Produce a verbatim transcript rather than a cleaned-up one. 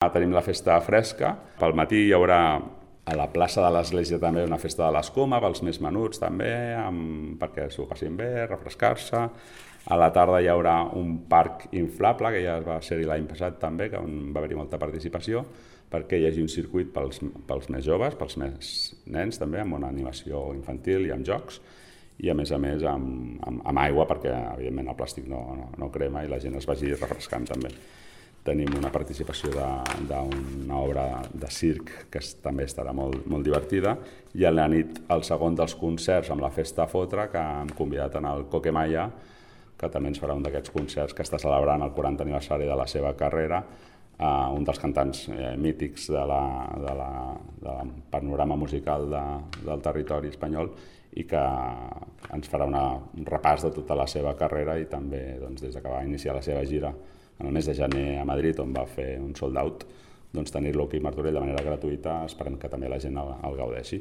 Tenim la festa fresca. Pel matí hi haurà a la plaça de l'església també una festa de l'escuma, pels més menuts també, amb, perquè s'ho passin bé, refrescar-se. A la tarda hi haurà un parc inflable, que ja va ser-hi l'any passat també, que on va haver-hi molta participació, perquè hi hagi un circuit pels, pels més joves, pels més nens també, amb una animació infantil i amb jocs, i a més a més amb, amb, amb aigua, perquè evidentment el plàstic no, no, no crema i la gent es vagi refrescant també. Tenim una participació d'una obra de circ que també estarà molt, molt divertida, i a la nit el segon dels concerts amb la Festa Fotre, que hem convidat en el Coquemaya, que també ens farà un d'aquests concerts que està celebrant el quaranta aniversari de la seva carrera, eh, un dels cantants eh, mítics de la, de la, del panorama musical de, del territori espanyol, i que ens farà una, un repàs de tota la seva carrera i també doncs, des que va iniciar la seva gira en el mes de gener a Madrid, on va fer un sold out, doncs tenir-lo aquí a Martorell de manera gratuïta, esperem que també la gent el, el gaudeixi.